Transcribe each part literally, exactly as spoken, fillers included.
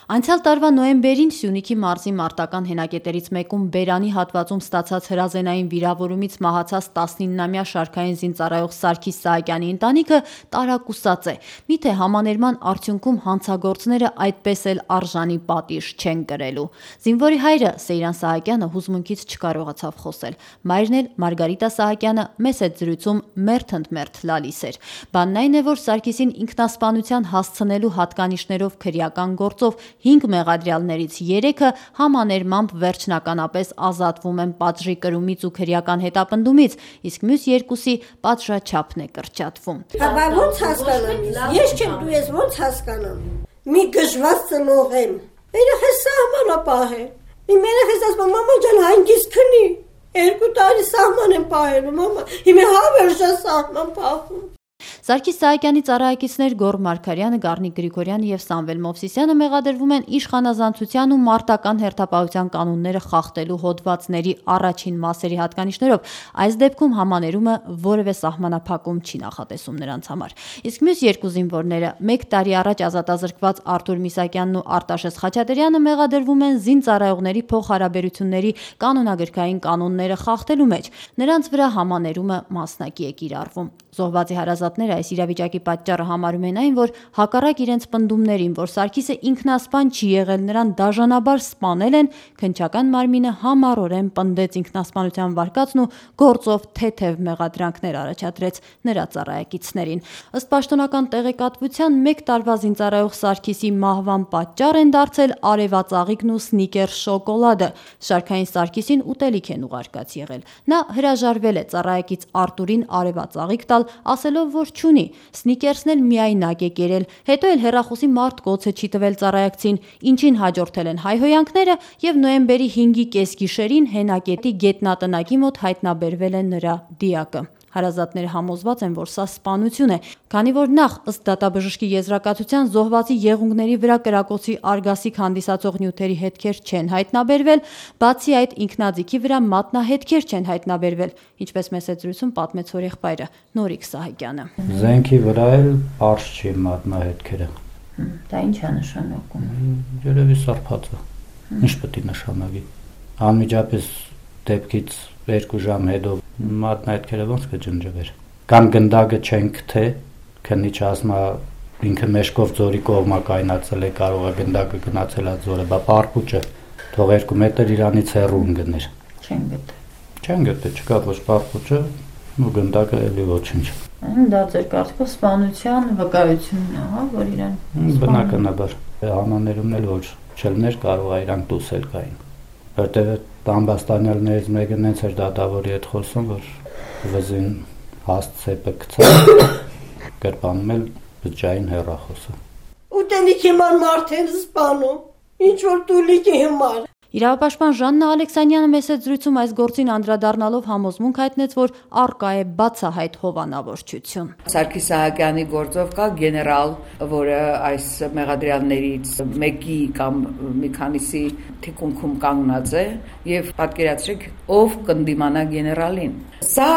Անցյալ տարվա նոյեմբերին Սյունիքի մարզի մարտական հենակետերից մեկում բերանի հատվածում ստացած հրազենային վիրավորումից մահացած տասնիննամյա շարքային զինծառայող Սարգիս Սահակյանի ընտանիքը տարակուսած է։ Միթե համաներման արդյունքում հանցագործները այդպես էլ արժանի պատիժ չեն կրելու։ Զինվորի հայրը Սեյրան Սահակյանը հուզմունքից չկարողացավ խոսել։ Մայրն էլ Մարգարիտա Սահակյանը մեծ այդ զրույցում մերթընդմերթ լալիս էր։ Բանն այն է, որ Սարգիսին ինքնասպանության հասցնելու հատկանիշներով քրեական գործով հինգ մեղադրյալներից երեքը համաներմամբ վերջնականապես ազատվում են պատժի կրումից ու քրեական հետապնդումից, իսկ մյուս երկուսի պատժաչափն է կրճատվում։ Բա ո՞նց հասկանամ ես։ Ես չեմ դու ես ո՞նց հասկանամ։ Մի գժված ծնող եմ։ Երեխես սահմանապահ է։ Իմ երեխես ասում մամա ջան հանգիստ քնի։ Երկու տարի սահման եմ պահելու մամա։ Հիմա հավերժա սահման պահում։ Սարգիս Սահակյանի ծառայակիցներ Գոռ Մարգարյանը, Գառնիկ Գրիգորյանը եւ Սամվել Մովսիսյանը մեղադրվում են իշխանազանցության ու մարտական հերթապահության կանոնները խախտելու հոդվածների առաջին մասերի հատկանիշներով։ Այս դեպքում համաներումը որևէ սահմանափակում չի նախատեսում նրանց համար։ Իսկ մյուս երկու զինվորները մեկ տարի առաջ ազատազրկված Արտուր Միսակյանն ու Արտաշես Խաչատրյանը մեղադրվում են զինծառայողների փոխհարաբերությունների կանոնագրքային կանոնները խախտելու մեջ։ Նրանց վրա համաներումը մասնակի է կիրառվում։ Զոհվածի հարազատները այս իրավիճակի պատճառը համարում են այն, որ հակառակ իրենց պնդումներին, որ Սարգիսը ինքնասպան չի եղել, նրան դաժանաբար սպանել են, քննչական մարմինը համառորեն պնդեց ինքնասպանության վարկածն ու գործով թեթև մեղադրանքներ առաջադրեց նրա ծառայակիցներին։ Ըստ պաշտոնական տեղեկատվության մեկ տարվա զինծառայող Սարգիսի մահվան պատճառ են դարձել արևածաղիկն ու սնիկեր շոկոլադը։ Շարքային Սարգիսին ուտելիք են ուղարկած եղել։ Նա հրաժարվել է ծառայակից Արտուրին արևածաղիկ տալ, ասելով, որ չունի, սնիկերսն էլ միայնակ է կերել, հետո էլ հեռախոսի մարտկոցը չի տվել ծառայակցին, ինչին հաջորդել են հայհոյանքները եւ նոյեմբերի հինգի կեսգիշերին հենակետի գետնատնակի մոտ հայտնաբերվել է նրա դիակը։ Հարազատները համոզված են, որ սա սպանություն է, քանի որ նախ ըստ դատաբժշկի եզրակացության զոհվածի եղունգների վրա կրակոցի արգասիք հանդիսացող նյութերի հետքեր չեն հայտնաբերվել, բացի այդ ինքնաձիգի վրա մատնահետքեր չեն հայտնաբերվել, ինչպես մեծ զրույցում պատմեց որ եղբայրը Նորիկ Սահակյանը։ Զենքի վրա էլ արժ չի մատնահետքերը։ Դա ինչ է նշանակում։ Երևի սարփած է։ Ինչ պետք է նշանակի։ Անմիջապես դեպքից երկու ժամ հետո մատնահետքերը ոնց կջնջվեր։ Կամ գնդակը չեն գթե, քննիչը ասում է ինքը մեջքով ձորի կողմա կայնացել է, կարող է գնդակը գնացել է ձորը, բա պարպուճը թող երկու մետր իրանից հեռու ընկներ։ Չեն գտե։ Չեն գտե, չկա ոչ պարպուճը, ու գնդակը էլի ոչինչ։ Դա ձեր կարծիքով սպանության վկայությունն է, հա, որ իրան բնականաբար հանաներումն էլ ոչ չելներ կարող է իրանք դուսել կային։ Որտեղ Տամբաստանյալներից մեկը նենց էր դատավորի հետ խոսում, որ վզին հաստ սեպը գցավ, գրպանում էլ բջջային հեռախոսը։ Ուտելիքի համար մարդ են սպանում, ինչ որ տուլիկի համար։ Իրավապաշտպան Ժաննա Ալեքսանյանը մեծ զրույցում այս գործին անդրադառնալով համոզմունք հայտնեց, որ առկա է բացահայտ հովանավորչություն։ Սարգիս Սահակյանի գործով կա գեներալ, որը այս մեղադրյալներից մեկի կամ մի քանիսի թիկունքում կանգնած է եւ պատկերացրեք ով կընդդիմանա գեներալին։ Սա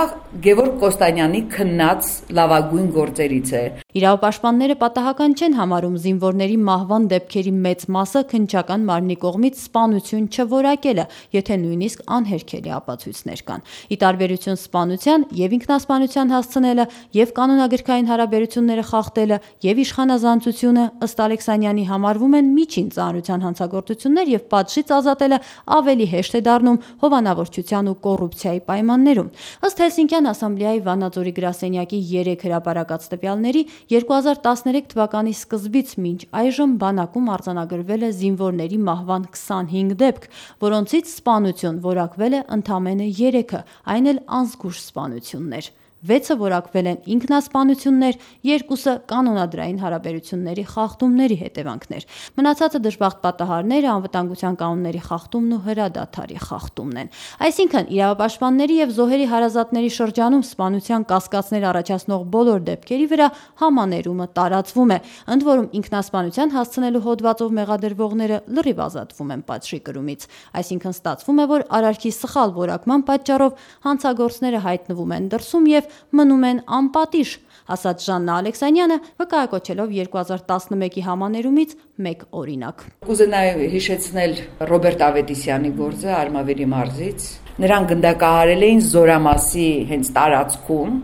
Գևորգ Կոստանյանի քննած լավագույն գործերից է։ Իրավապաշտպանները պատահական չեն համարում զինվորների մահվան դեպքերի մեծ մասը քննչական մարմնի կողմից սպանություն չորակելը, եթե նույնիսկ անհերքելի ապացույցներ կան։ Ի տարբերություն սպանության եւ ինքնասպանության հասցնելը եւ կանոնագրքային հարաբերությունները խախտելը եւ իշխանազանցությունը ըստ Ալեքսանյանի համարվում են միջին ծանրության հանցագործություններ եւ պատժից ազատելը ավելի հեշտ է դառնում հովանավորչության ու կոռուպցիայի պայմաններում։ Ըստ Հելսինկյան ասամբլեայի Վանաձորի գրասենյակի երեք հրապարակած տվյալների երկու հազար տասներեք թվականի սկզբից մինչ այժմ բանակում արձանագրվել է զինվորների մահվան քսանհինգ դեպք, որոնցից սպանություն որակվել է ընդամենը երեքը, այն էլ անզգույշ սպանություններ։ վեցը որակվել են ինքնասպանություններ, երկուսը կանոնադրային հարաբերությունների խախտումների հետևանքներ։ Մնացածը դժբախտ պատահարները անվտանգության կանոնների խախտումն ու հրադադարի խախտումն են։ Այսինքն իրավապաշտպանների եւ զոհերի հարազատների շրջանում սպանության կասկածներ առաջացնող բոլոր դեպքերի վրա համաներումը տարածվում է, ընդ որում ինքնասպանության հասցնելու հոդվածով մեղադրվողները լրիվ ազատվում են պատժի կրումից։ Այսինքն ստացվում է, որ արարքի սխալ որակման պատճառով հանցագործները հայտնվում են դրսում եւ մնում են անպատիժ, ասաց Ժաննա Ալեքսանյանը, վկայակոչելով երկու հազար տասնմեկի համաներումից մեկ օրինակ։ Կուզենայի հիշեցնել Ռոբերտ Ավետիսյանի գործը Արմավիրի մարզից։ Նրան գնդակահարել էին Զորամասի հենց տարածքում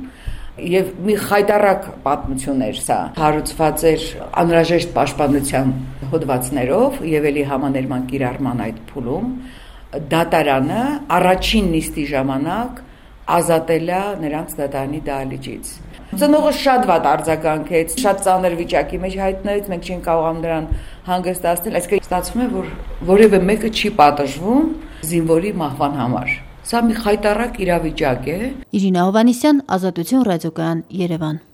եւ մի խայտարակ պատմություն էր սա, հարուցված էր անհրաժեշտ պաշտպանության հոդվածներով եւ ելի համաներման կիրառման այդ փուլում դատարանը առաջին նիստի ժամանակ ազատել է նրանց դատարանի դահլիճից։ Ծնողը շատ վատ արձագանքեց, շատ ծանր վիճակի մեջ հայտնվեց, մենք չենք կարողանում նրան հանգստացնել, այսինքն ստացվում է, որ որևէ մեկը չի պատժվում զինվորի մահվան համար։ Սա մի խայտարակ իրավիճակ է։ Իրինա Հովհաննիսյան, Ազատություն ռադիոկայան, Երևան։